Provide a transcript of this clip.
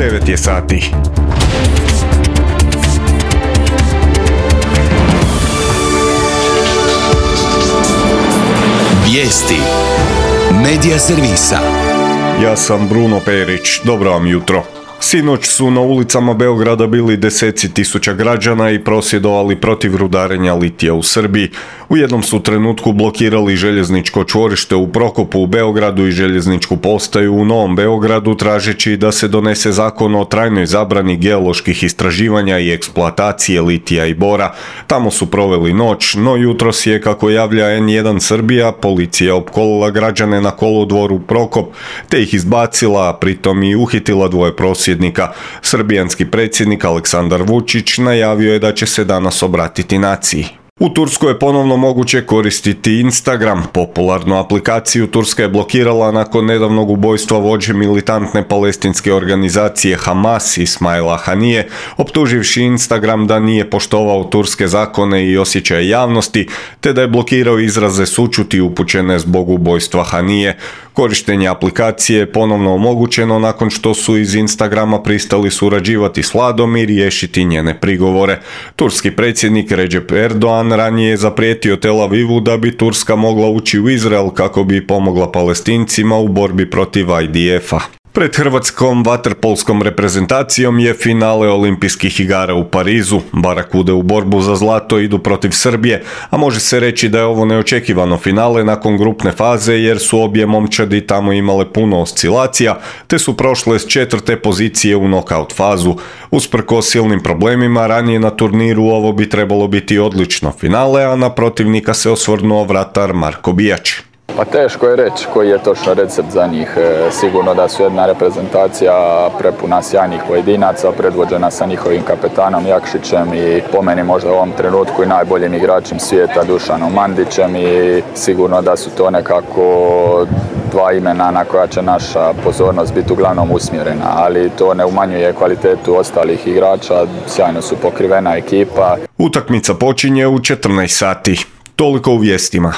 9 je sati. Vijesti Medija servisa. Ja sam Bruno Perić, dobro vam jutro. Sinoć su na ulicama Beograda bili deseci tisuća građana i prosvjedovali protiv rudarenja litija u Srbiji. U jednom su trenutku blokirali željezničko čvorište u Prokopu u Beogradu i željezničku postaju u Novom Beogradu, tražeći da se donese zakon o trajnoj zabrani geoloških istraživanja i eksploatacije litija i bora. Tamo su proveli noć, no jutros je, kako javlja N1 Srbija, policija opkolila građane na kolodvoru Prokop, te ih izbacila, a pritom i uhitila dvoje prosvjednika. Srbijanski predsjednik Aleksandar Vučić najavio je da će se danas obratiti naciji. U Turskoj je ponovno moguće koristiti Instagram. Popularnu aplikaciju Turska je blokirala nakon nedavnog ubojstva vođe militantne palestinske organizacije Hamas Ismaila Hanije, optuživši Instagram da nije poštovao turske zakone i osjećaje javnosti, te da je blokirao izraze sućuti upućene zbog ubojstva Hanije. Korištenje aplikacije je ponovno omogućeno nakon što su iz Instagrama pristali surađivati s vladom i riješiti njene prigovore. Turski predsjednik Recep Erdogan ranije je zaprijetio Tel Avivu da bi Turska mogla ući u Izrael kako bi pomogla Palestincima u borbi protiv IDF-a. Pred hrvatskom vaterpolskom reprezentacijom je finale olimpijskih igara u Parizu. Barakude u borbu za zlato idu protiv Srbije, a može se reći da je ovo neočekivano finale nakon grupne faze jer su obje momčadi tamo imale puno oscilacija, te su prošle s 4. pozicije u nokaut fazu. Usprkos silnim problemima, ranije na turniru ovo bi trebalo biti odlično finale, a na protivnika se osvrnuo vratar Marko Bijač. Pa teško je reći koji je točno recept za njih. Sigurno da su jedna reprezentacija prepuna sjajnih pojedinaca, predvođena sa njihovim kapetanom Jakšićem i po meni možda u ovom trenutku i najboljim igračem svijeta Dušanom Mandićem, i sigurno da su to nekako dva imena na koja će naša pozornost biti uglavnom usmjerena, ali to ne umanjuje kvalitetu ostalih igrača, sjajno su pokrivena ekipa. Utakmica počinje u 14 sati. Toliko u vijestima.